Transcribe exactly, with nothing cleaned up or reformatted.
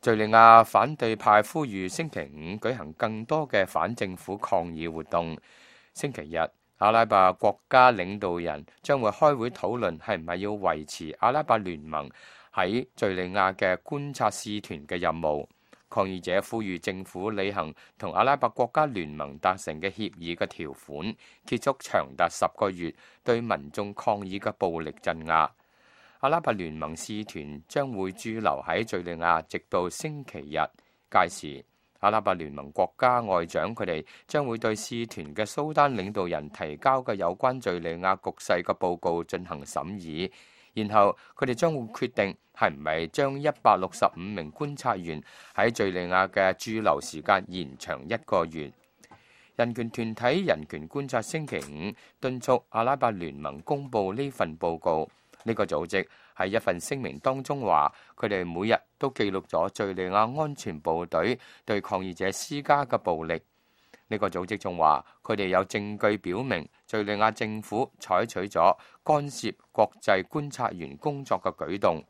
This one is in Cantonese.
敘利亞反對派呼籲星期五舉行更多嘅反政府抗議活動。星期日，阿拉伯國家領導人將會開會討論係唔係要維持阿拉伯聯盟喺敘利亞嘅觀察使團嘅任務。抗議者呼籲政府履行同阿拉伯國家聯盟達成嘅協議嘅條款，結束長達十個月對民眾抗議嘅暴力鎮壓。阿拉伯聯盟使團將會駐留喺敘利亞，直到星期日。屆時，阿拉伯聯盟國家外長佢哋將會對使團嘅蘇丹領導人提交嘅有關敘利亞局勢嘅報告進行審議，然後佢哋將會決定係唔係將一百六十五名觀察員喺敘利亞嘅駐留時間延長一個月。人權團體人權觀察星期五敦促阿拉伯聯盟公佈呢份報告。呢個組織喺一份聲明當中話，佢哋每日都記錄咗敘利亞安全部隊對抗議者施加嘅暴力。呢個組織仲話，佢哋有證據表明敘利亞政府採取咗干涉國際觀察員工作嘅舉動。